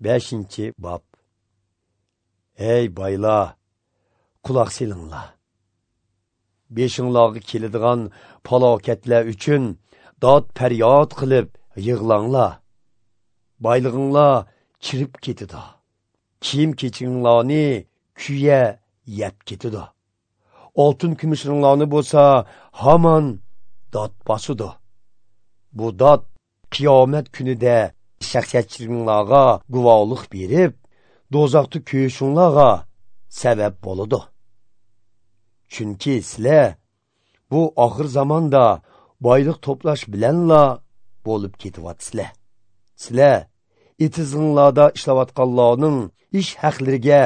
5-bob. Ey boylar, quloq selinglar. Beshinglarga keladigan falokatlar uchun dod faryod qilib yig'langlar. Boylig'inglar chirib ketadi. Kiyim kechinglarni kuya yeb ketadi. Oltin kumushinglarni bo'lsa hamon dod bosadi. Bu dod qiyomat kunida shaxsiyatchiliginglarga guvohlik berib, do'zaxda kuyishinglarga sabab bo'ladi. Chunki sizlar bu oxir zamonda boylik to'plash bilanla bo'lib ketyapsizlar. Sizlar etizinglarda ishlayotganlarning ish haqlariga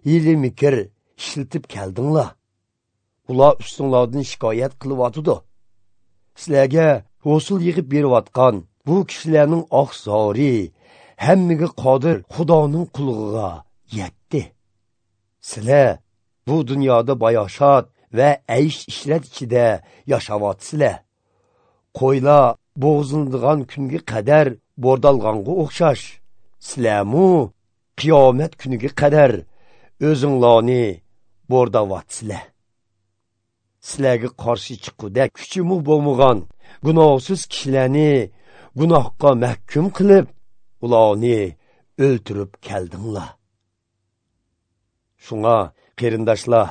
hiyla mikr ishlatib keldinglar. Ular ustinglardan shikoyat qilyotidi. Sizlarga hosil yig'ib berayotgan bu kishilarning oq zori hammaga qodir Xudoning qullig'iga yetdi. Sizlar bu dunyoda bayoshat va aysh ishrat ichida yashayapsizlar. Qo'ylar bo'g'zindigan kunga qadar bordalg'anga o'xshash, sizlarmu qiyomat kuniga qadar o'zinglarni bordayotsizlar. Sizlarga qarshi chiquvda kuchimi bo'lmagan gunohsiz kishilarni gunohga mahkum qilib, ularni o'ltirib keldinglar. Shunga qarindoshlar,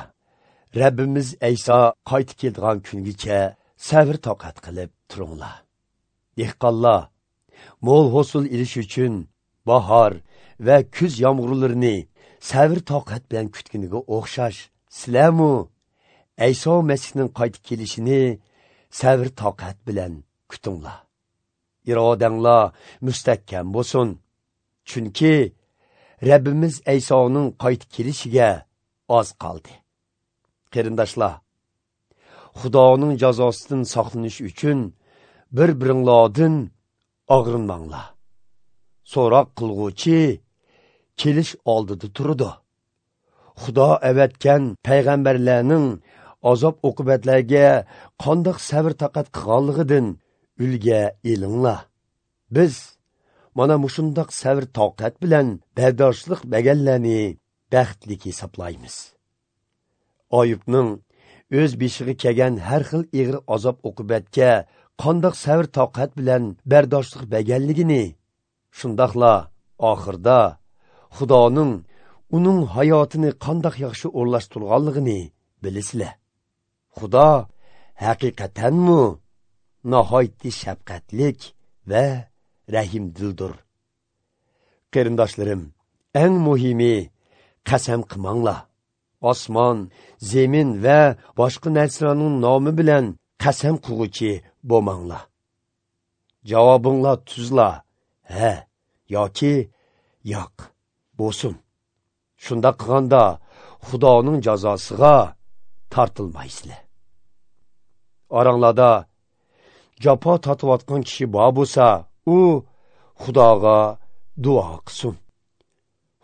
Rabbimiz Ayso qaytib keladigan kungacha sabr toqat qilib turinglar. Dehqonlar mo'l hosil ilish uchun bahor va kuz yomg'irlarini sabr toqat bilan kutganiga o'xshash, sizlarmu Ayso Masihning qaytib kelishini sabr toqat bilan kutinglar. Irodanglar mustahkam bo'lsin. Chunki Rabbimiz Aysoning qaytib kelishiga oz qoldi. Qarindoshlar, Xudoning jazosidan saqlanish uchun bir-biringlardan og'rinmanglar. So'roq qilg'uvchi kelish oldida turdi. Xudo avatgan payg'ambarlarning azob oqibatlarga qandoq sabr toqat qilganligidan ulga elinglar. Biz mana mushundoq sabr toqat bilan bardoshlik berganlarni baxtli hisoblaymiz. Ayubning o'z beshig'i kelgan har xil ig'ir azob oqibatga qandoq sabr toqat bilan bardoshlik berganligini, shundoqla oxirda Xudoning uning hayotini qandoq yaxshi o'rlashtirganligini bilasizlar. Xudo haqiqatanmi nihoyatda shafqatlik va rahimdildir. Qarindoshlarim, eng muhimi qasam qilmanglar. Osmon, zemin va boshqa narsalarning nomi bilan qasam qilg'uvchi bo'lmanglar. Javobinglar tuzla, ha yoki yo'q bo'lsin. Shunda qilganda Xudoning jazosiga tortilmaysizlar. Oranglarda jafo tortayotgan kishi bor bo'lsa, u Xudoga duo qilsin.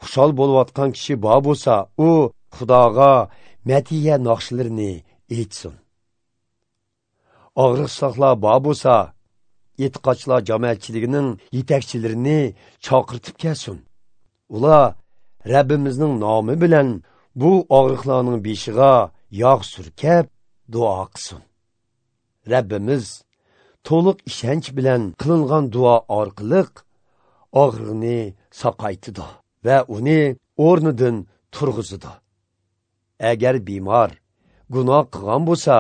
Xushal bo'layotgan kishi bor bo'lsa, u Xudoga matiya naqshlarini aytsin. Og'riqsizlar bor bo'lsa, e'tiqodchilar jamoatchiligining yetakchilarini chaqirtib kelsin. Ular Rabbimizning nomi bilan bu og'riqlarning beshiga yog' surkab duo qilsin. Rabbimiz to'liq ishonch bilan qilingan duo orqali og'riqni saqaytidi va uni o'rnidan turg'izadi. Agar bemor gunoh qilgan bo'lsa,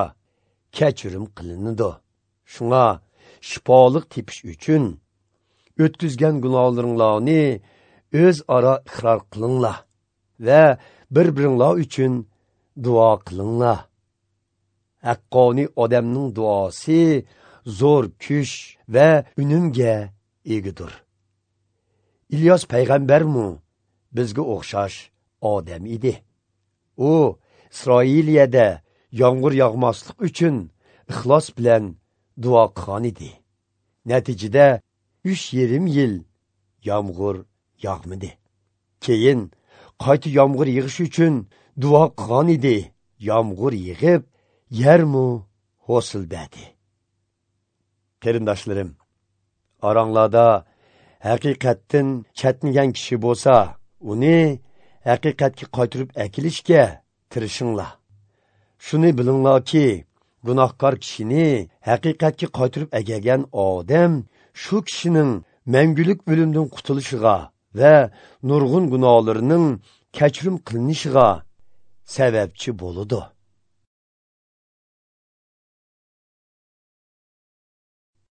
kechirim qilinadi. Shunga shifolik tepish uchun o'tkazgan gunohlaringlarni o'zaro iqror qilinglar va bir-biringlar uchun duo qilinglar. Haqqoniy odamning duosi zo'r kuch va unumga egadir. İlyos payg'ambarmi bizga o'xshash odam edi. U Isroiliyada yomg'ir yog'maslik uchun ixlos bilan duo qilgan edi. Natijada 3,5 yil yomg'ir yog'madi. Keyin qayta yomg'ir yig'ish uchun duo qilgan edi. Yomg'ir yig'ib, yermu hosil berdi. Qarindoshlarim, oranglarda Haqiqatdan chetnagan kishi bo'lsa, uni haqiqatga qaytarib akilishga tirishinglar. Shuni bilinglarki, gunohkor kishini haqiqatga qaytarib akelgan odam shu kishining mangulik o'limdan qutulishiga va nurg'un gunohlarining kechirim qilinishiga sababchi bo'ladi.